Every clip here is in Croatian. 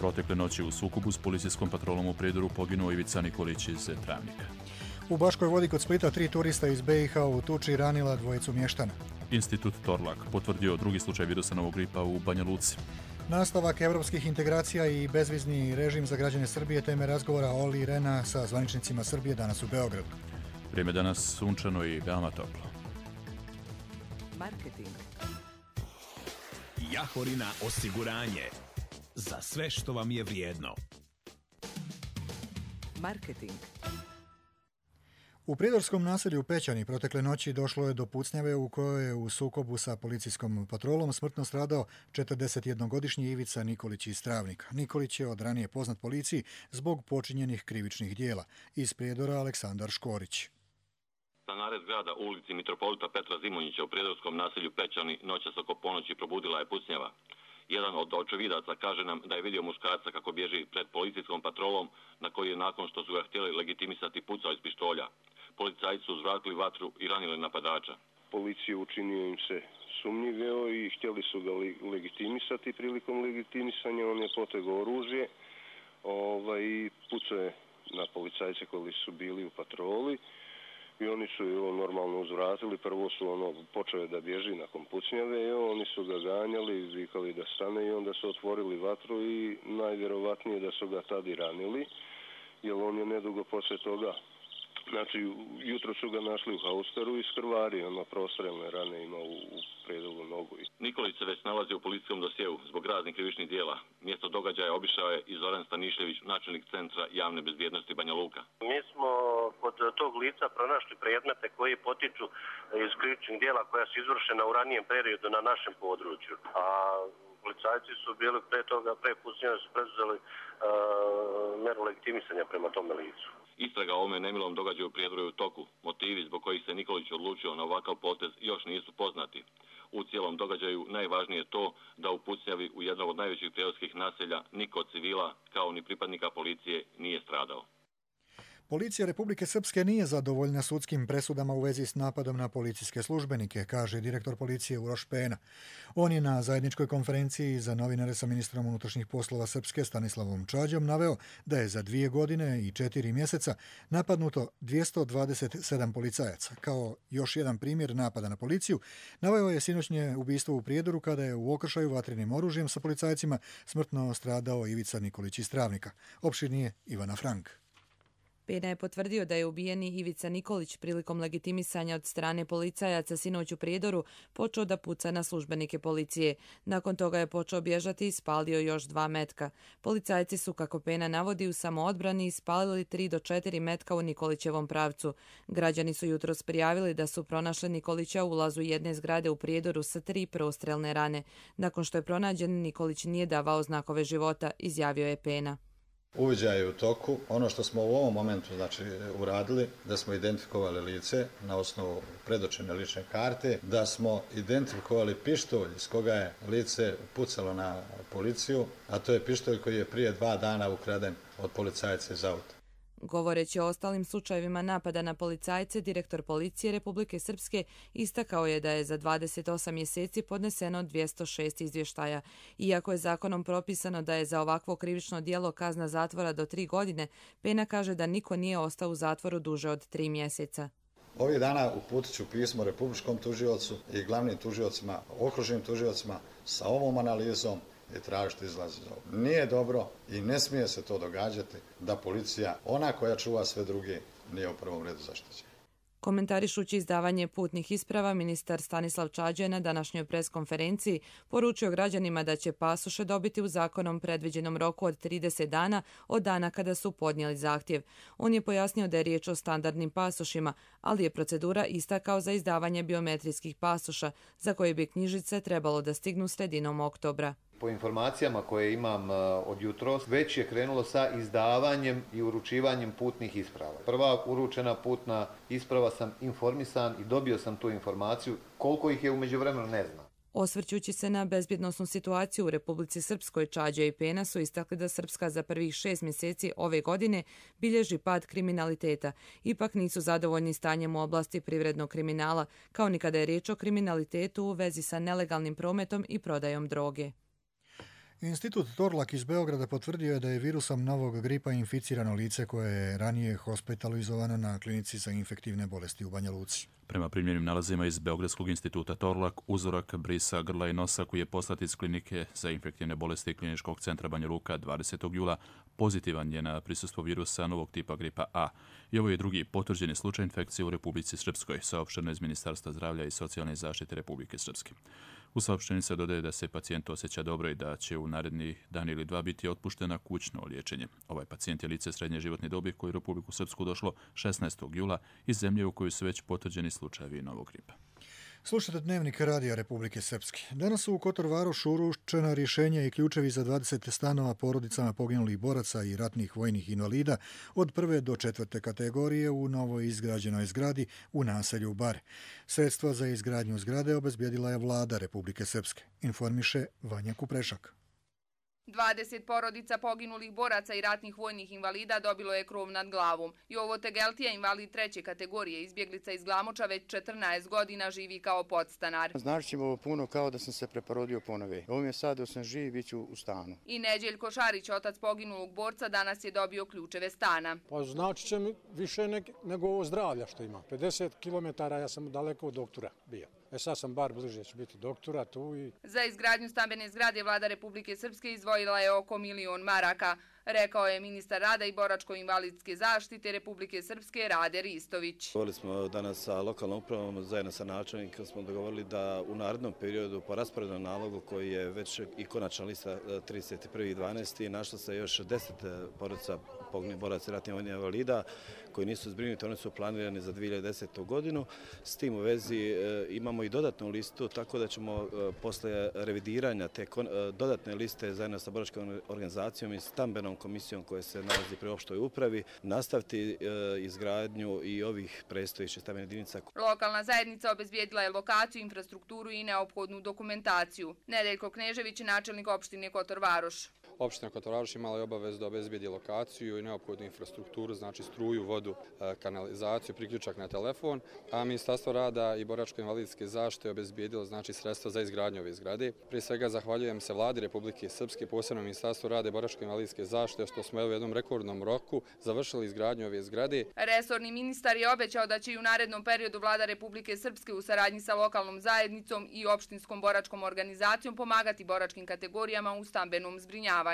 Protekle noći u sukobu s policijskom patrolom u Prijedoru poginuo Ivica Nikolić iz Travnika. U Baškoj Vodi kod Splita 3 turista iz BiH u tuči ranila dvojicu mještana. Institut Torlak potvrdio drugi slučaj virusa novog gripa u Banja Luci. Nastavak evropskih integracija i bezvizni režim za građane Srbije teme razgovora Olli Rehna sa zvaničnicima Srbije danas u Beogradu. Vrijeme danas sunčano i veoma toplo. Marketing. Jahorina osiguranje. Za sve što vam je vrijedno. Marketing. U prijedorskom naselju Pećani protekle noći došlo je do pucnjave u kojoj je u sukobu sa policijskom patrolom smrtno stradao 41-godišnji Ivica Nikolić iz Travnika. Nikolić je od ranije poznat policiji zbog počinjenih krivičnih dijela. Iz Prijedora Aleksandar Škorić. Na nared grada u ulici Mitropolita Petra Zimonjića u prijedorskom naselju Pećani noćas oko ponoći probudila je pucnjava. Jedan od očevidaca kaže nam da je vidio muškarca kako bježi pred policijskom patrolom na koji je nakon što su ga htjeli legitimisati pucao iz pištolja. Policajci su uzvratili vatru i ranili napadača. Policiju učinio im se sumnjiveo i htjeli su ga legitimisati. Prilikom legitimisanja on je potegao oružje i pucao je na policajce koji su bili u patroli. I oni su normalno uzvratili, prvo su počeli da bježi nakon pucnjave i oni su ga ganjali, vikali da stane i onda su otvorili vatru i najvjerovatnije da su ga tad i ranili, jer on je nedugo poslije toga, znači jutro su ga našli u hausteru i skrvari, prostrelne rane ima u predolu nogu. Nikolić se već nalazi u policijskom dosjeu zbog raznih krivičnih dijela. Mjesto događaja obišao je i Zoran Stanišević, načelnik Centra javne bezbjednosti Banja Luka. Mi smo kod tog lica pronašli predmete koji potiču iz krivičnih dijela koja su izvršena u ranijem periodu na našem području. A policajci su bili pre pucnjave su preduzeli meru legitimisanja prema tome licu. Istraga o ovome nemilom događaju u Prijedoru je u toku. Motivi zbog kojih se Nikolić odlučio na ovakav potez još nisu poznati. U cijelom događaju najvažnije je to da u pucnjavi u jednog od najvećih prijedorskih naselja niko od civila, kao ni pripadnika policije, nije stradao. Policija Republike Srpske nije zadovoljna sudskim presudama u vezi s napadom na policijske službenike, kaže direktor policije Uroš Pena. On je na zajedničkoj konferenciji za novinare sa ministrom unutrašnjih poslova Srpske Stanislavom Čađom naveo da je za 2 godine i 4 mjeseca napadnuto 227 policajaca. Kao još jedan primjer napada na policiju, naveo je sinoćnje ubistvo u Prijedoru kada je u okršaju vatrenim oružjem sa policajcima smrtno stradao Ivica Nikolić iz Travnika. Opširnije Ivana Frank. Pena je potvrdio da je ubijeni Ivica Nikolić prilikom legitimisanja od strane policajaca sinoć u Prijedoru počeo da puca na službenike policije. Nakon toga je počeo bježati i spalio još 2 metka. Policajci su, kako Pena navodi, u samoodbrani ispalili 3 do 4 metka u Nikolićevom pravcu. Građani su jutros prijavili da su pronašli Nikolića u ulazu jedne zgrade u Prijedoru sa 3 prostrelne rane. Nakon što je pronađen, Nikolić nije davao znakove života, izjavio je Pena. Uviđaj je u toku. Ono što smo u ovom momentu uradili, da smo identifikovali lice na osnovu predočene lične karte, da smo identifikovali pištolj iz koga je lice pucalo na policiju, a to je pištolj koji je prije 2 dana ukraden od policajca iz auta. Govoreći o ostalim slučajevima napada na policajce, direktor policije Republike Srpske istakao je da je za 28 mjeseci podneseno 206 izvještaja. Iako je zakonom propisano da je za ovakvo krivično djelo kazna zatvora do 3 godine, Pena kaže da niko nije ostao u zatvoru duže od 3 mjeseca. Ovih dana uputit ću pismo republičkom tužiocu i glavnim tužiocima, okružnim tužiocima sa ovom analizom i tražiti izlaz iz ovoga. Nije dobro i ne smije se to događati da policija, ona koja čuva sve druge, nije u prvom redu zaštićena. Komentarišući izdavanje putnih isprava, ministar Stanislav Čađa je na današnjoj preskonferenciji poručio građanima da će pasoše dobiti u zakonom predviđenom roku od 30 dana od dana kada su podnijeli zahtjev. On je pojasnio da je riječ o standardnim pasošima, ali je procedura ista kao za izdavanje biometrijskih pasoša, za koje bi knjižice trebalo da stignu sredinom oktobra. Po informacijama koje imam od jutros, već je krenulo sa izdavanjem i uručivanjem putnih isprava. Prva uručena putna isprava sam informisan i dobio sam tu informaciju. Koliko ih je u međuvremenu ne znam. Osvrćući se na bezbjednosnu situaciju u Republici Srpskoj, Čađa i Pena su istakli da Srpska za prvih 6 mjeseci ove godine bilježi pad kriminaliteta. Ipak nisu zadovoljni stanjem u oblasti privrednog kriminala, kao ni kada je riječ o kriminalitetu u vezi sa nelegalnim prometom i prodajom droge. Institut Torlak iz Beograda potvrdio je da je virusom novog gripa inficirano lice koje je ranije hospitalizovano na klinici za infektivne bolesti u Banja Luci. Prema primljenim nalazima iz Beogradskog instituta Torlak, uzorak brisa grla i nosa koji je poslat iz klinike za infektivne bolesti Kliničkog centra Banja Luka 20. jula pozitivan je na prisustvo virusa novog tipa gripa A. I ovo je drugi potvrđeni slučaj infekcije u Republici Srpskoj, saopšteno iz Ministarstva zdravlja i socijalne zaštite Republike Srpske. U saopštenju se dodaje da se pacijent osjeća dobro i da će u naredni dan ili dva biti otpuštena kućno liječenje. Ovaj pacijent je lice srednje životne dobi koje je u Republiku Srpsku došlo 16. jula iz zemlje u kojoj su već potvrđeni slučajevi novog gripa. Slušate Dnevnik Radija Republike Srpske. Danas su u Kotor Varošu uručena rješenja i ključevi za 20 stanova porodicama poginulih boraca i ratnih vojnih invalida od 1. do 4. kategorije u novo izgrađenoj zgradi u naselju Bar. Sredstva za izgradnju zgrade obezbijedila je vlada Republike Srpske, informiše Vanja Kuprešak. 20 porodica poginulih boraca i ratnih vojnih invalida dobilo je krov nad glavom. Jovo Tegeltija, invalid 3. kategorije, izbjeglica iz Glamoča, već 14 godina živi kao podstanar. Znači će ovo puno kao da sam se preporodio ponove. Ovo mi je sad dok sam živ, bit ću u stanu. I Neđeljko Šarić, otac poginulog borca, danas je dobio ključeve stana. Pa znači će mi više nego ovo zdravlja što ima. 50 km ja sam daleko od doktora bio. Sad sam bar bliže, će biti doktora tu i... Za izgradnju stambene zgrade vlada Republike Srpske izdvojila je oko 1 milion maraka, rekao je ministar rada i boračko-invalidske zaštite Republike Srpske Rade Ristović. Govorili smo danas sa lokalnom upravom, zajedno sa načelnikom smo dogovorili da u narednom periodu po rasporednom nalogu koji je već i konačna lista 31.12. našla se još 10 porodica poginulih boraca i ratnih vojnih invalida koji nisu zbrinuti, oni su planirani za 2010. godinu. S tim u vezi imamo i dodatnu listu, tako da ćemo posle revidiranja te dodatne liste zajedno sa boračkom organizacijom i stambenom komisijom koja se nalazi pri opštoj upravi nastaviti izgradnju i ovih predstojećih stambenih jedinica. Lokalna zajednica obezbijedila je lokaciju, infrastrukturu i neophodnu dokumentaciju. Nedeljko Knežević, načelnik opštine Kotor Varoš. Opština Kotor Varoš imala je obavezu da obezbijedi lokaciju i neophodnu infrastrukturu, znači struju, vodu, kanalizaciju, priključak na telefon, a Ministarstvo rada i boračko-invalidske zaštite obezbijedilo znači sredstva za izgradnju ove zgrade. Prije svega zahvaljujem se vladi Republike Srpske, posebno Ministarstvu rada i boračko-invalidske zaštite što smo u jednom rekordnom roku završili izgradnju ove zgrade. Resorni ministar je obećao da će i u narednom periodu vlada Republike Srpske u saradnji sa lokalnom zajednicom i opštinskom boračkom organizacijom pomagati boračkim kategorijama u stambenom zbrinjavanju.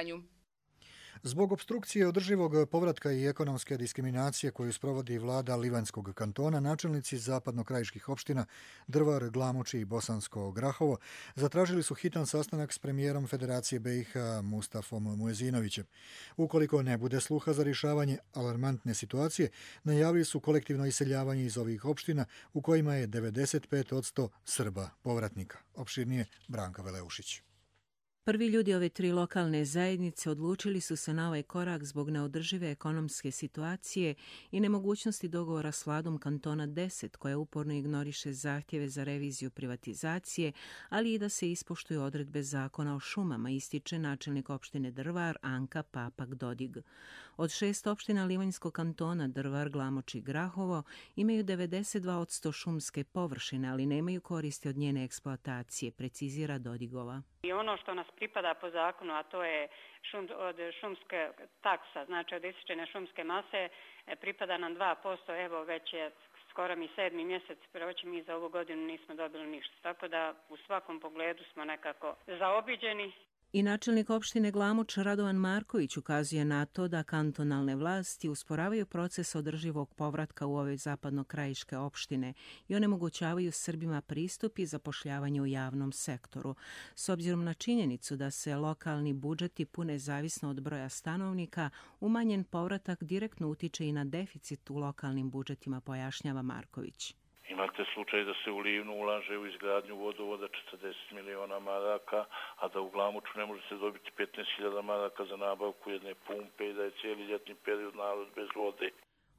Zbog obstrukcije održivog povratka i ekonomske diskriminacije koju sprovodi vlada Livanjskog kantona, načelnici zapadnokrajiških opština Drvar, Glamoči i Bosansko Grahovo zatražili su hitan sastanak s premijerom Federacije BiH Mustafom Muezinovićem. Ukoliko ne bude sluha za rješavanje alarmantne situacije, najavili su kolektivno iseljavanje iz ovih opština u kojima je 95% Srba povratnika. Opširnije Branka Veleušić. Prvi ljudi ove 3 lokalne zajednice odlučili su se na ovaj korak zbog neodržive ekonomske situacije i nemogućnosti dogovora s vladom kantona 10, koja uporno ignoriše zahtjeve za reviziju privatizacije, ali i da se ispoštuju odredbe zakona o šumama, ističe načelnik opštine Drvar Anka Papak-Dodig. Od 6 opština Livanjskog kantona Drvar, Glamoč i Grahovo imaju 92% šumske površine, ali nemaju koristi od njene eksploatacije, precizira Dodigova. I ono što nas pripada po zakonu, a to je od šumske taksa, znači od isičene šumske mase, pripada nam 2%, evo već je skoro mi 7. mjesec, proći mi za ovu godinu nismo dobili ništa. Tako da u svakom pogledu smo nekako zaobiđeni. I načelnik opštine Glamoč Radovan Marković ukazuje na to da kantonalne vlasti usporavaju proces održivog povratka u ove zapadnokrajiške opštine i onemogućavaju Srbima pristup i zapošljavanje u javnom sektoru. S obzirom na činjenicu da se lokalni budžeti pune zavisno od broja stanovnika, umanjen povratak direktno utiče i na deficit u lokalnim budžetima, pojašnjava Marković. Imate slučaj da se u Livnu ulaže u izgradnju vodovoda 40 miliona maraka, a da u Glamoču ne može se dobiti 15.000 maraka za nabavku jedne pumpe i da je cijeli ljetni period narod bez vode.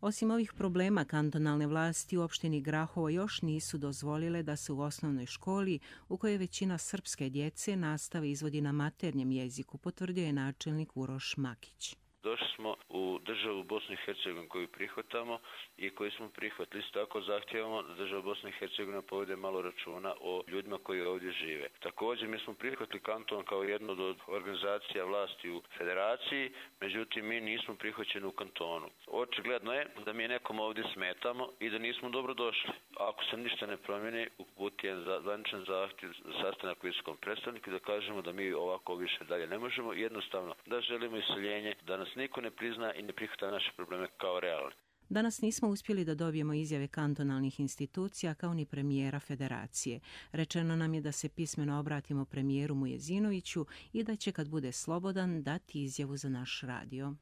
Osim ovih problema, kantonalne vlasti u opštini Grahovo još nisu dozvolile da se u osnovnoj školi, u kojoj većina srpske djece, nastava izvodi na maternjem jeziku, potvrdio je načelnik Uroš Makić. Došli smo u državu Bosnu i Hercegovinu koju prihvatamo i koju smo prihvatili. Isto tako zahtijevamo da država Bosna i Hercegovina povede malo računa o ljudima koji ovdje žive. Također mi smo prihvatili kanton kao jednu od organizacija vlasti u federaciji, međutim mi nismo prihvaćeni u kantonu. Očigledno je da mi nekom ovdje smetamo i da nismo dobro došli. Ako se ništa ne promijeni, uputijem zvaničan zahtjev za sastanak visokom predstavniku da kažemo da mi ovako više dalje ne možemo, jednostavno da želimo iseljenje, da nas niko ne prizna i ne prihvata naše probleme kao realne. Danas nismo uspjeli da dobijemo izjave kantonalnih institucija kao ni premijera federacije. Rečeno nam je da se pismeno obratimo premijeru Mujezinoviću i da će kad bude slobodan dati izjavu za naš radio.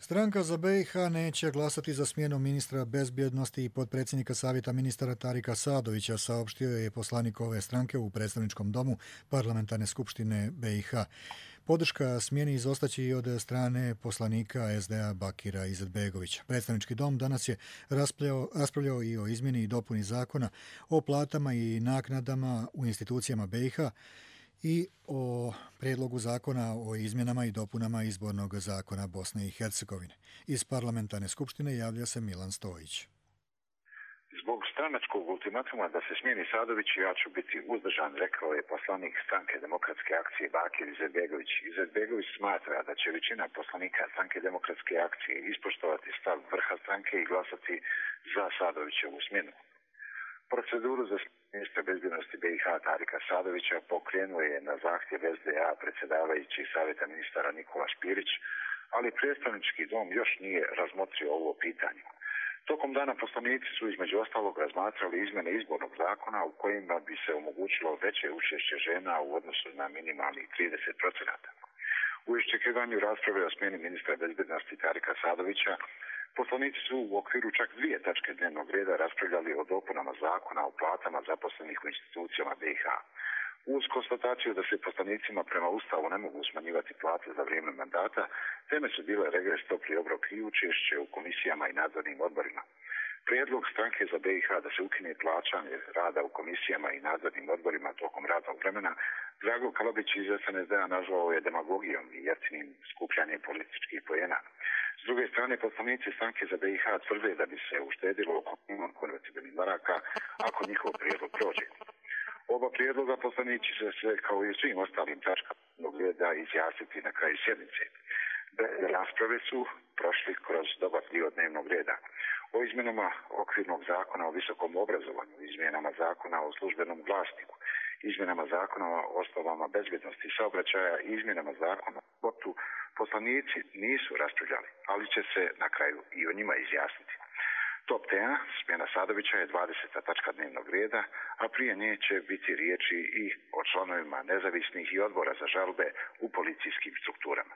Stranka za BiH neće glasati za smjenu ministra bezbjednosti i potpredsjednika Savjeta ministara Tarika Sadovića, saopštio je poslanik ove stranke u predstavničkom domu Parlamentarne skupštine BiH. Podrška smjeni izostaće i od strane poslanika SDA Bakira Izetbegovića. Predstavnički dom danas je raspravljao i o izmjeni i dopuni zakona o platama i naknadama u institucijama BiH i o prijedlogu zakona o izmjenama i dopunama izbornog zakona Bosne i Hercegovine. Iz parlamentarne skupštine javlja se Milan Stojić. Zbog stranačkog ultimatuma da se smijeni Sadović, ja ću biti uzdržan, rekao je poslanik stranke Demokratske akcije Bakir Izetbegović. Izetbegović smatra da će većina poslanika stranke Demokratske akcije ispoštovati stav vrha stranke i glasati za Sadovićevu smjenu. Proceduru za ministra bezbjednosti BiH Tarika Sadovića pokrenuo je na zahtjev SDA predsjedavajući Savjeta ministara Nikola Špirić, ali predstavnički dom još nije razmotrio ovo pitanje. Tokom dana poslanici su između ostalog razmatrali izmjene izbornog zakona u kojima bi se omogućilo veće učešće žena u odnosu na minimalnih 30%. U iščekivanju rasprave o smjeni ministra bezbjednosti Tarika Sadovića, poslanici su u okviru čak 2 tačke dnevnog reda raspravljali o dopunama zakona o platama zaposlenih u institucijama BiH. Uz konstataciju da se poslanicima prema Ustavu ne mogu smanjivati plate za vrijeme mandata, teme su bile regres, topli obrok i učešće u komisijama i nadzornim odborima. Prijedlog stranke za BiH da se ukine plaćanje rada u komisijama i nadzornim odborima tokom radnog vremena, Drago Kalabić iz SNSD-a nazvao je demagogijom i jeftinim skupljanjem političkih poena. S druge strane, poslanici stranke za BiH tvrde da bi se uštedilo oko konvertibilnih maraka ako njihov prijedlog prođe. Oba prijedloga poslanici se kao i svim ostalim tačkama mogli da izjasniti na kraju sjednice. Rasprave su prošli kroz dobar dio dnevnog reda. O izmjenama okvirnog zakona o visokom obrazovanju, izmjenama zakona o službenom glasniku, izmjenama zakona o osnovama bezbjednosti i saobraćaja i izmjenama zakona o sportu poslanici nisu raspravljali, ali će se na kraju i o njima izjasniti. Top tema, smjena Sadovića, je 20. tačka dnevnog reda, a prije nje će biti riječi i o članovima nezavisnih i odbora za žalbe u policijskim strukturama.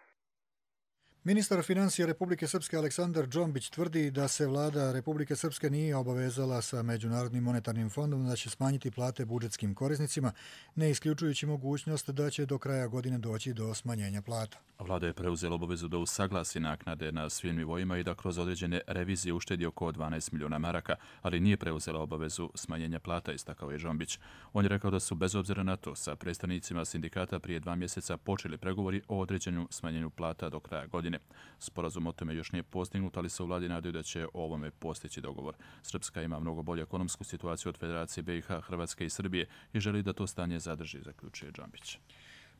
Ministar financija Republike Srpske Aleksandar Džombić tvrdi da se vlada Republike Srpske nije obavezala sa Međunarodnim monetarnim fondom da će smanjiti plate budžetskim korisnicima, ne isključujući mogućnost da će do kraja godine doći do smanjenja plata. Vlada je preuzela obavezu da usaglasi naknade na svim nivoima i da kroz određene revizije uštedi oko 12 milijuna maraka, ali nije preuzela obavezu smanjenja plata, istakao je Džombić. On je rekao da su bez obzira na to sa predstavnicima sindikata prije 2 mjeseca počeli pregovori o određenju smanjenju plata do kraja godine. Sporazum o tome još nije postignut, ali se u vladi nadaju da će o ovome postići dogovor. Srpska ima mnogo bolju ekonomsku situaciju od Federacije BiH, Hrvatske i Srbije i želi da to stanje zadrži, zaključuje Džombić.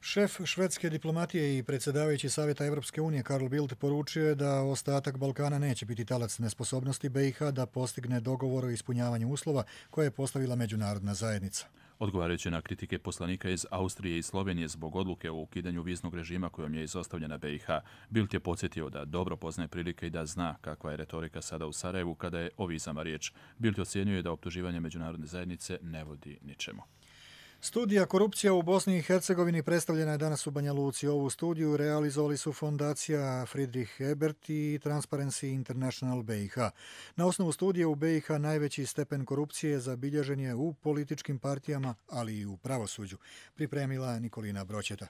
Šef švedske diplomatije i predsjedavajući Savjeta Evropske unije Carl Bildt poručio je da ostatak Balkana neće biti talac nesposobnosti BiH da postigne dogovor o ispunjavanju uslova koje je postavila međunarodna zajednica. Odgovarajući na kritike poslanika iz Austrije i Slovenije zbog odluke o ukidanju viznog režima kojom je izostavljena BiH, Bildt je podsjetio da dobro poznaje prilike i da zna kakva je retorika sada u Sarajevu kada je o vizama riječ. Bildt ocjenjuje da optuživanje međunarodne zajednice ne vodi ničemu. Studija Korupcija u Bosni i Hercegovini predstavljena je danas u Banja Luci. Ovu studiju realizovali su fondacija Friedrich Ebert i Transparency International BiH. Na osnovu studije u BiH najveći stepen korupcije zabilježen je u političkim partijama, ali i u pravosuđu. Pripremila Nikolina Bročeta.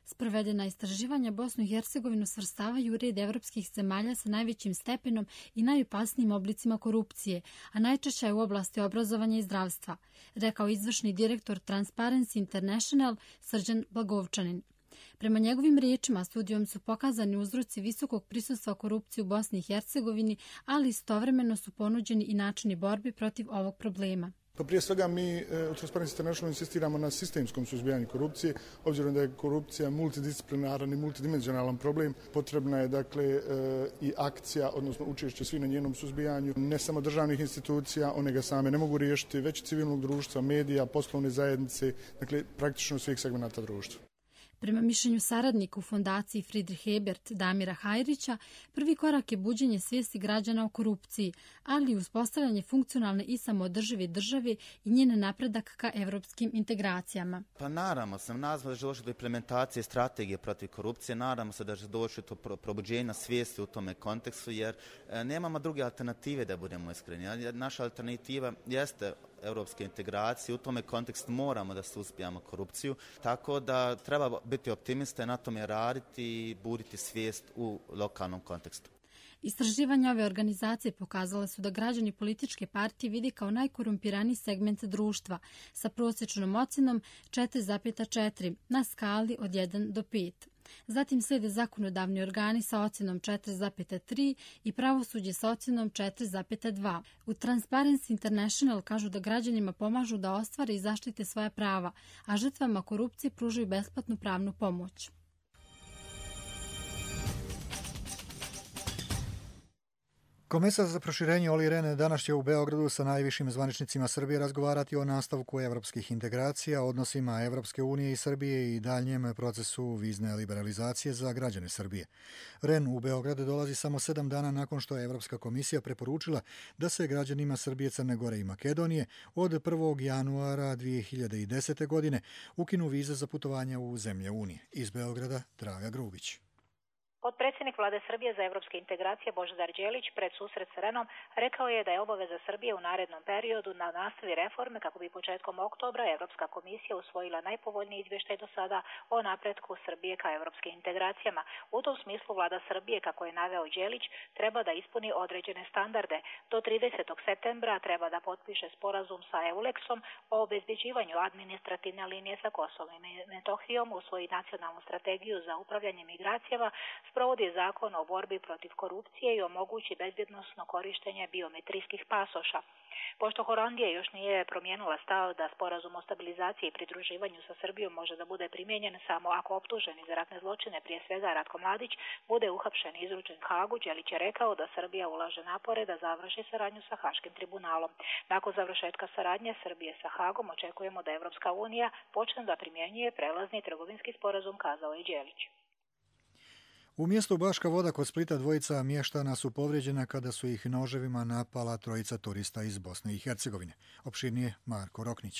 Sprovedena istraživanja Bosnu i Hercegovinu svrstavaju u red evropskih zemalja sa najvećim stepenom i najopasnijim oblicima korupcije, a najčešća je u oblasti obrazovanja i zdravstva, rekao izvršni direktor Transparency International Srđan Blagovčanin. Prema njegovim riječima, studijom su pokazani uzroci visokog prisustva korupcije u Bosni i Hercegovini, ali istovremeno su ponuđeni i načini borbe protiv ovog problema. Pa prije svega mi u Transparency International insistiramo na sistemskom suzbijanju korupcije, obzirom da je korupcija multidisciplinaran i multidimenzionalan problem. Potrebna je dakle i akcija, odnosno učešće svi na njenom suzbijanju, ne samo državnih institucija, one ga same ne mogu riješiti, već civilnog društva, medija, poslovne zajednice, dakle praktično svih segmenata društva. Prema mišljenju saradnika u fondaciji Friedrich Ebert Damira Hajrića, prvi korak je buđenje svijesti građana o korupciji, ali i uspostavljanje funkcionalne i samoodržive države i njen napredak ka evropskim integracijama. Pa nadamo se da će doći do implementacije strategije protiv korupcije, nadamo se da će doći do probuđenja svijesti u tome kontekstu, jer nemamo druge alternative, da budemo iskreni. Naša alternativa jeste europske integracije, u tome kontekstu moramo da suzbijamo korupciju, tako da treba biti optimista, na tome raditi i buditi svijest u lokalnom kontekstu. Istraživanja ove organizacije pokazale su da građani političke partije vidi kao najkorumpiraniji segment društva sa prosječnom ocjenom 4,4 na skali od 1 do 5. Zatim slijede zakonodavni organi sa ocjenom 4,3 i pravosuđe sa ocjenom 4,2. U Transparency International kažu da građanima pomažu da ostvare i zaštite svoja prava, a žrtvama korupcije pružaju besplatnu pravnu pomoć. Komesar za proširenje Olli Rehn danas će u Beogradu sa najvišim zvaničnicima Srbije razgovarati o nastavku evropskih integracija, odnosima Evropske unije i Srbije i daljnjem procesu vizne liberalizacije za građane Srbije. Rehn u Beograd dolazi samo 7 dana nakon što je Evropska komisija preporučila da se građanima Srbije, Crne Gore i Makedonije od 1. januara 2010. godine ukinu vize za putovanja u zemlje Unije. Iz Beograda Draga Grubić. Potpredsjednik Vlade Srbije za evropske integracije Božidar Đelić pred susret s Rehnom rekao je da je obaveza Srbije u narednom periodu na nastavi reforme kako bi početkom oktobra Evropska komisija usvojila najpovoljniji izvještaj do sada o napretku Srbije ka evropskim integracijama. U tom smislu Vlada Srbije, kako je naveo Đelić, treba da ispuni određene standarde. Do 30. septembra treba da potpiše sporazum sa EULEX-om o obezbeđivanju administrativne linije sa Kosovom i Metohijom, usvoji nacionalnu strategiju za upravljanje migracijama, sprovodi zakon o borbi protiv korupcije i omogući bezbjednosno korištenje biometrijskih pasoša. Pošto Holandija još nije promijenila stav da sporazum o stabilizaciji i pridruživanju sa Srbijom može da bude primijenjen samo ako optuženi za ratne zločine, prije svega Ratko Mladić, bude uhapšen i izručen Hagu, Đelić je rekao da Srbija ulaže napore da završi saradnju sa Haškim tribunalom. Nakon završetka saradnje Srbije sa Hagom očekujemo da Evropska unija počne da primjenjuje prelazni trgovinski sporazum, kazao je Đelić. U mjestu Baška Voda kod Splita dvojica mještana su povrijeđena kada su ih noževima napala trojica turista iz Bosne i Hercegovine. Opširnije Marko Roknić.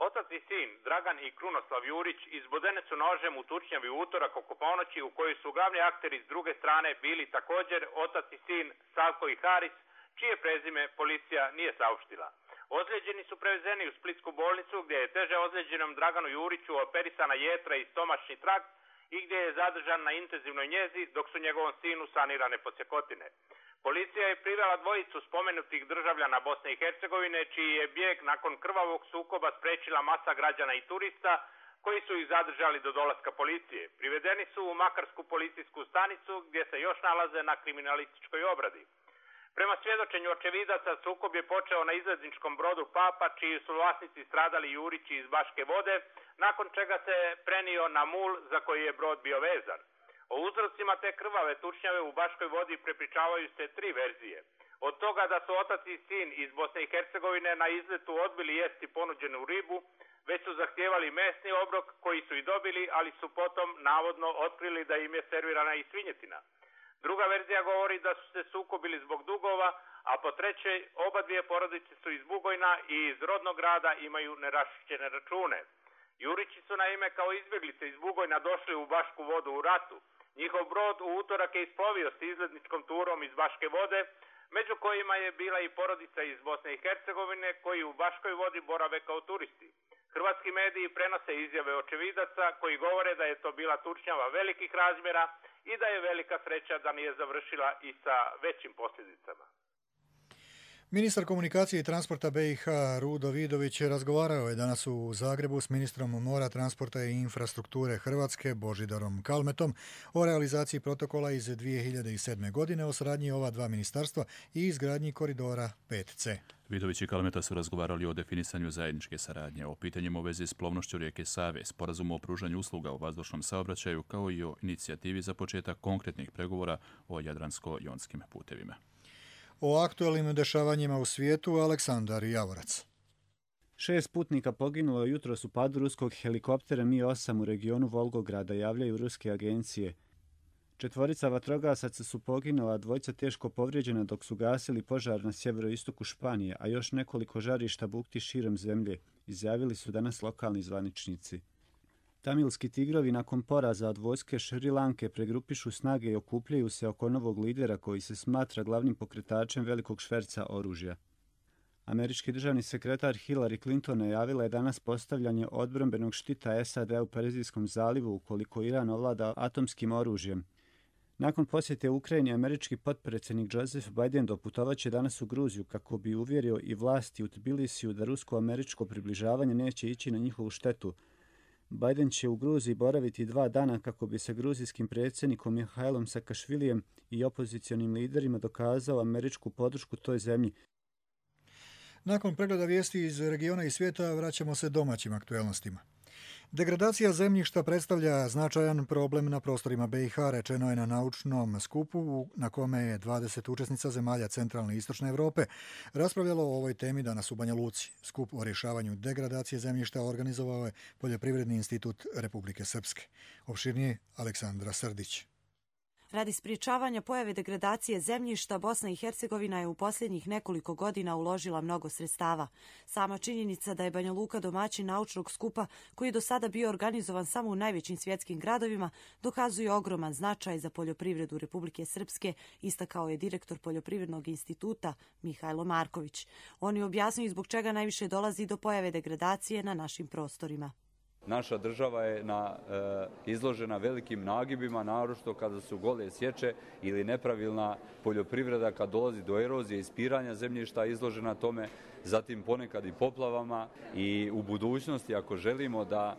Otac i sin, Dragan i Krunoslav Jurić, izbodene su nožem u tučnjavi utorak oko ponoći u kojoj su glavni akteri s druge strane bili također otac i sin Savko i Haris, čije prezime policija nije saopštila. Ozlijeđeni su prevezeni u Splitsku bolnicu gdje je teže ozlijeđenom Draganu Juriću operisana jetra i stomačni trakt i gdje je zadržan na intenzivnoj njezi dok su njegovom sinu sanirane podsjekotine. Policija je privela dvojicu spomenutih državljana Bosne i Hercegovine, čiji je bijeg nakon krvavog sukoba sprečila masa građana i turista koji su ih zadržali do dolaska policije. Privedeni su u Makarsku policijsku stanicu gdje se još nalaze na kriminalističkoj obradi. Prema svjedočenju očevidaca, sukob je počeo na izletničkom brodu Papa, čiji su vlasnici stradali Jurići iz Baške Vode, nakon čega se prenio na mul za koji je brod bio vezan. O uzrocima te krvave tučnjave u Baškoj Vodi prepričavaju se 3 verzije. Od toga da su otac i sin iz Bosne i Hercegovine na izletu odbili jesti ponuđenu ribu, već su zahtijevali mesni obrok koji su i dobili, ali su potom navodno otkrili da im je servirana i svinjetina. Druga verzija govori da su se sukobili zbog dugova, a po trećoj oba dvije porodice su iz Bugojna i iz rodnog grada imaju neraščišćene račune. Jurići su naime kao izbjeglice iz Bugojna došli u Bašku Vodu u ratu. Njihov brod u utorak je isplovio s izletničkom turom iz Baške Vode, među kojima je bila i porodica iz Bosne i Hercegovine koji u Baškoj Vodi borave kao turisti. Hrvatski mediji prenose izjave očevidaca koji govore da je to bila tučnjava velikih razmjera i da je velika sreća da nije završila i sa većim posljedicama. Ministar komunikacije i transporta BiH Rudo Vidović razgovarao je danas u Zagrebu s ministrom mora, transporta i infrastrukture Hrvatske Božidarom Kalmetom o realizaciji protokola iz 2007. godine o saradnji ova dva ministarstva i izgradnji koridora 5C. Vidović i Kalmeta su razgovarali o definisanju zajedničke saradnje, o pitanjima u vezi s plovnošću rijeke Save, sporazumu o pružanju usluga u vazdušnom saobraćaju, kao i o inicijativi za početak konkretnih pregovora o jadransko-jonskim putevima. O aktualnim dešavanjima u svijetu Aleksandar Javorac. 6 putnika poginulo jutros u padu ruskog helikoptera Mi-8 u regionu Volgograda, javljaju ruske agencije. 4 vatrogasaca su poginula, 2 teško povrijeđena dok su gasili požar na sjeveroistoku Španije, a još nekoliko žarišta bukti širom zemlje, izjavili su danas lokalni zvaničnici. Tamilski tigrovi nakon poraza od vojske Šri Lanke pregrupišu snage i okupljaju se oko novog lidera koji se smatra glavnim pokretačem velikog šverca oružja. Američki državni sekretar Hillary Clinton najavila je danas postavljanje odbrambenog štita SAD u Perzijskom zalivu ukoliko Iran ovlada atomskim oružjem. Nakon posjete Ukrajini, američki potpredsjednik Joseph Biden doputovaće danas u Gruziju kako bi uvjerio i vlasti u Tbilisiju da rusko-američko približavanje neće ići na njihovu štetu. Biden će u Gruziji boraviti 2 dana kako bi sa gruzijskim predsjednikom Mihailom Sakašvilijem i opozicionim liderima dokazao američku podršku toj zemlji. Nakon pregleda vijesti iz regiona i svijeta vraćamo se domaćim aktuelnostima. Degradacija zemljišta predstavlja značajan problem na prostorima BiH, rečeno je na naučnom skupu na kome je 20 učesnica zemalja centralne i istočne Europe raspravljalo o ovoj temi danas u Banja Luci. Skup o rješavanju degradacije zemljišta organizovao je Poljoprivredni institut Republike Srpske. Opširnije Aleksandra Srdić. Radi sprječavanja pojave degradacije zemljišta, Bosna i Hercegovina je u posljednjih nekoliko godina uložila mnogo sredstava. Sama činjenica da je Banja Luka domaćin naučnog skupa, koji je do sada bio organizovan samo u najvećim svjetskim gradovima, dokazuje ogroman značaj za poljoprivredu Republike Srpske, istakao je direktor Poljoprivrednog instituta Mihajlo Marković. On je objasnio zbog čega najviše dolazi do pojave degradacije na našim prostorima. Naša država je izložena velikim nagibima, naročito kada su gole sječe ili nepravilna poljoprivreda, kad dolazi do erozije i ispiranja zemljišta izložena tome, zatim ponekad i poplavama. I u budućnosti, ako želimo da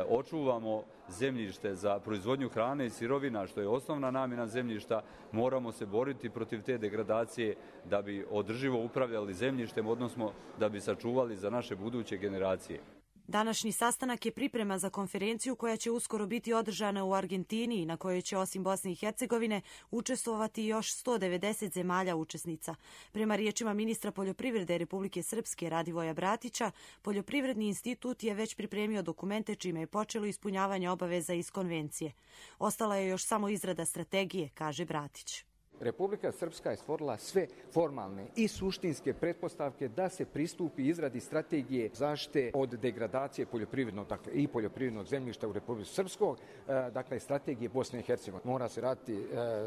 očuvamo zemljište za proizvodnju hrane i sirovina, što je osnovna namjena zemljišta, moramo se boriti protiv te degradacije da bi održivo upravljali zemljištem, odnosno da bi sačuvali za naše buduće generacije. Današnji sastanak je priprema za konferenciju koja će uskoro biti održana u Argentini i na kojoj će osim Bosne i Hercegovine učestvovati još 190 zemalja učesnica. Prema riječima ministra poljoprivrede Republike Srpske Radivoja Bratića, Poljoprivredni institut je već pripremio dokumente čime je počelo ispunjavanje obaveza iz konvencije. Ostala je još samo izrada strategije, kaže Bratić. Republika Srpska je stvorila sve formalne i suštinske pretpostavke da se pristupi izradi strategije zaštite od degradacije poljoprivrednog, dakle i poljoprivrednog zemljišta u Republici Srpskoj, dakle strategije Bosne i Hercegovine. Mora se raditi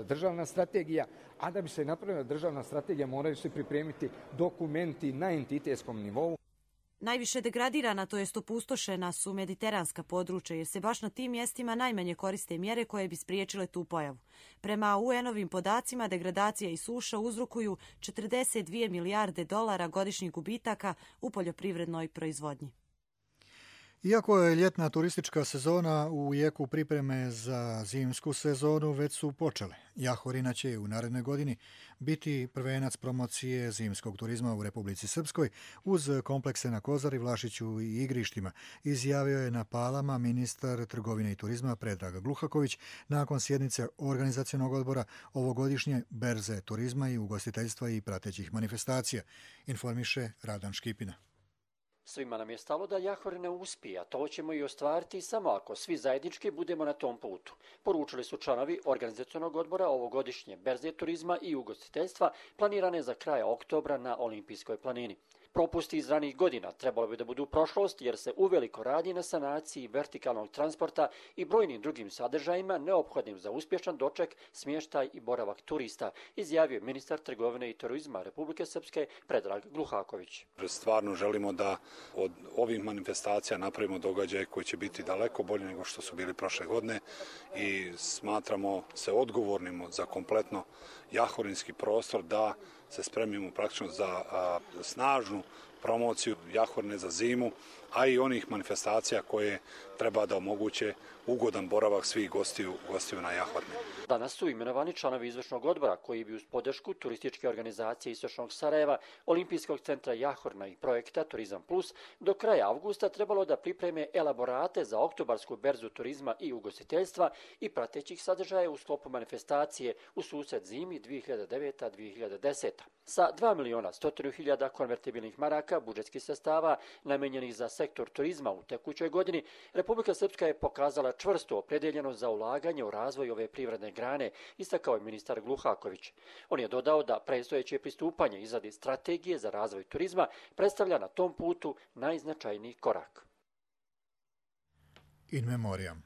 državna strategija, a da bi se napravila državna strategija moraju se pripremiti dokumenti na entitetskom nivou. Najviše degradirana, to jest opustošena, su mediteranska područja jer se baš na tim mjestima najmanje koriste mjere koje bi spriječile tu pojavu. Prema UN-ovim podacima, degradacija i suša uzrokuju 42 milijarde dolara godišnjih gubitaka u poljoprivrednoj proizvodnji. Iako je ljetna turistička sezona u jeku pripreme za zimsku sezonu već su počele. Jahorina će u narednoj godini biti prvenac promocije zimskog turizma u Republici Srpskoj uz komplekse na Kozari, Vlašiću i Igrištima, izjavio je na Palama ministar trgovine i turizma Predrag Gluhaković nakon sjednice organizacionog odbora ovogodišnje berze turizma i ugostiteljstva i pratećih manifestacija, informiše Radan Škipina. Svima nam je stalo da Jahorina uspije, a to ćemo i ostvariti samo ako svi zajednički budemo na tom putu, poručili su članovi organizacionog odbora ovogodišnje berze turizma i ugostiteljstva planirane za kraj oktobra na Olimpijskoj planini. Propusti iz ranih godina trebalo bi da budu prošlost jer se uveliko radi na sanaciji vertikalnog transporta i brojnim drugim sadržajima neophodnim za uspješan doček, smještaj i boravak turista, izjavio ministar trgovine i turizma Republike Srpske Predrag Gluhaković. Stvarno želimo da od ovih manifestacija napravimo događaje koji će biti daleko bolji nego što su bili prošle godine i smatramo se odgovornim za kompletno jahorinski prostor da se spremimo praktično za snažnu promociju Jahorine za zimu, a i onih manifestacija koje treba da omoguće ugodan boravak svih gostiju na Jahorine. Danas su imenovani članovi izvršnog odbora koji bi uz podršku turističke organizacije Istočnog Sarajeva, Olimpijskog centra Jahorina i projekta Turizam Plus do kraja avgusta trebalo da pripreme elaborate za oktobarsku berzu turizma i ugostiteljstva i pratećih sadržaja u sklopu manifestacije u susret zimi 2009-2010. Sa 2.100.000 konvertibilnih maraka budžetskih sredstava namenjenih za sektor turizma u tekućoj godini, Republika Srpska je pokazala čvrstu opredeljenost za ulaganje u razvoj ove privredne grane, istakao je ministar Gluhaković. On je dodao da predstojeće pristupanje izradi strategije za razvoj turizma predstavlja na tom putu najznačajniji korak. In memoriam.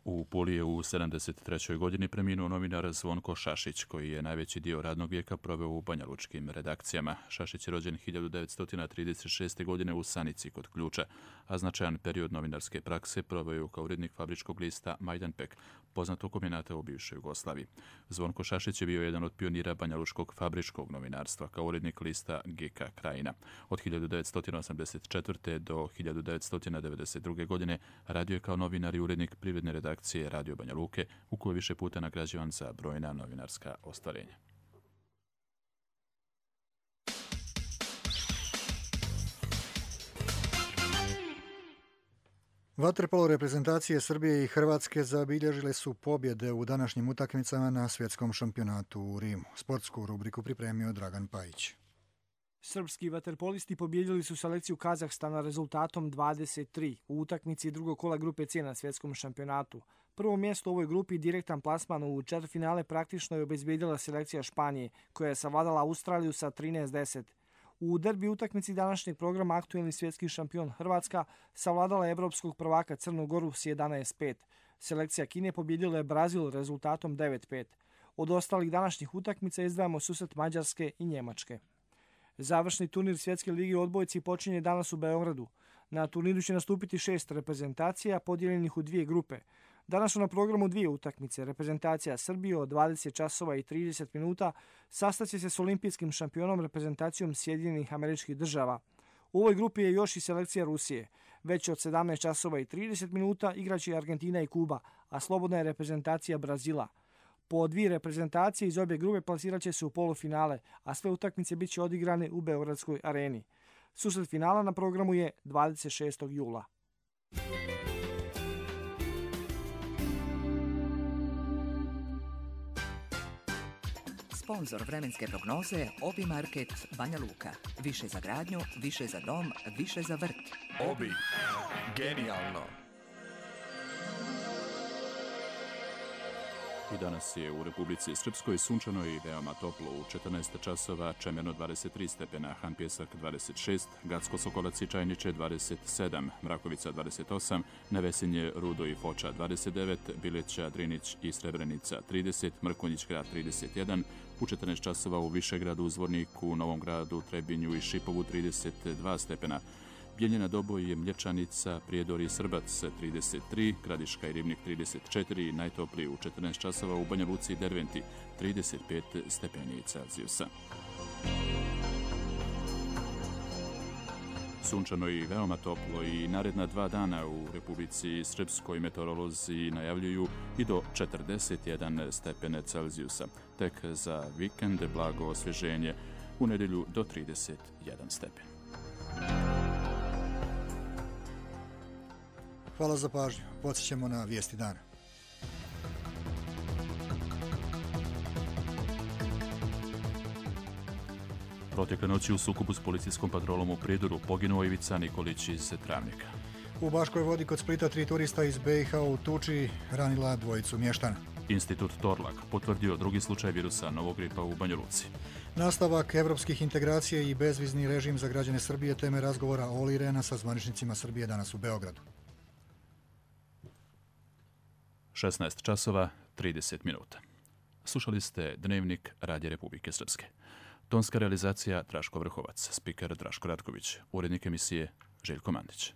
U Puli je u 73. godini preminuo novinar Zvonko Šašić, koji je najveći dio radnog vijeka proveo u banjalučkim redakcijama. Šašić je rođen 1936. godine u Sanici kod Ključa, a značajan period novinarske prakse proveo je kao urednik fabričkog lista Majdanpek, poznatog kombinata u bivšoj Jugoslaviji. Zvonko Šašić je bio jedan od pionira banjalučkog fabričkog novinarstva kao urednik lista GK Krajina. Od 1984. do 1992. godine radio je kao novinar i urednik privredne redakcije Radio Banja Luke, u kojoj više puta nagrađivan za brojna novinarska ostvarenja. Vaterpolo reprezentacije Srbije i Hrvatske zabilježile su pobjede u današnjim utakmicama na svjetskom šampionatu u Rimu. Sportsku rubriku pripremio Dragan Pajić. Srpski vaterpolisti pobijedili su selekciju Kazahstana rezultatom 23 u utakmici drugog kola grupe C na svjetskom šampionatu. Prvo mjesto u ovoj grupi direktan plasman u četvrtfinale praktično je obezbijedila selekcija Španije, koja je savladala Australiju sa 13-10. U derbi utakmici današnjeg programa aktuelni svjetski šampion Hrvatska savladala evropskog prvaka Crnu Goru s 11-5. Selekcija Kine pobijedila je Brazil rezultatom 9-5. Od ostalih današnjih utakmica izdvajamo susret Mađarske i Njemačke. Završni turnir Svjetske lige u odbojci počinje danas u Beogradu. Na turniru će nastupiti 6 reprezentacija podijeljenih u dvije grupe. Danas su na programu dvije utakmice. Reprezentacija Srbije od 20 časova i 30 minuta sastaće se s olimpijskim šampionom reprezentacijom Sjedinjenih Američkih Država. U ovoj grupi je još i selekcija Rusije. Već od 17 časova i 30 minuta igraće Argentina i Kuba, a slobodna je reprezentacija Brazila. Po dvije reprezentacije iz obje grupe plasirat će se u polufinale, a sve utakmice bit će odigrane u Beogradskoj areni. Susret finala na programu je 26. jula. Sponzor vremenske prognoze Obi Market Banja Luka. Više za gradnju, više za dom, više za vrt. Obi. Genijalno. I danas je u Republici Srpskoj sunčano i veoma toplo. U 14 časova Čemerno 23 stepena, Han Pjesak 26, Gacko Sokolac i Čajniče 27, Mrakovica 28, Nevesinje, Rudo i Foča 29, Bileća, Drinić i Srebrenica 30, Mrkonjić grad 31, u 14 časova u Višegradu, Zvorniku, Novom gradu, Trebinju i Šipovu 32 stepena, Bijeljina, Doboj, Mlječanica, Prijedor i Srbac 33, Gradiška i Ribnik 34, najtopliji u 14 časova u Banja Luci i Derventi 35 stepeni Celzijusa. Sunčano i veoma toplo i naredna 2 dana u Republici Srpskoj meteorolozi najavljuju i do 41 stepene Celzijusa. Tek za vikend blago osvježenje, u nedjelju do 31 stepen. Hvala za pažnju. Podsjećamo na vijesti dana. Protekle noći u sukobu s policijskom patrolom u Prijedoru poginuo Ivica Nikolić iz Travnika. U Baškoj Vodi kod Splita 3 turista iz BiH u tuči ranila dvojicu mještana. Institut Torlak potvrdio drugi slučaj virusa novog gripa u Banja Luci. Nastavak evropskih integracija i bezvizni režim za građane Srbije teme razgovora Olli Rehna sa zvaničnicima Srbije danas u Beogradu. 16 časova, 30 minuta. Slušali ste Dnevnik Radija Republike Srpske. Tonska realizacija Draško Vrhovac, spiker Draško Ratković, urednik emisije Željko Mandić.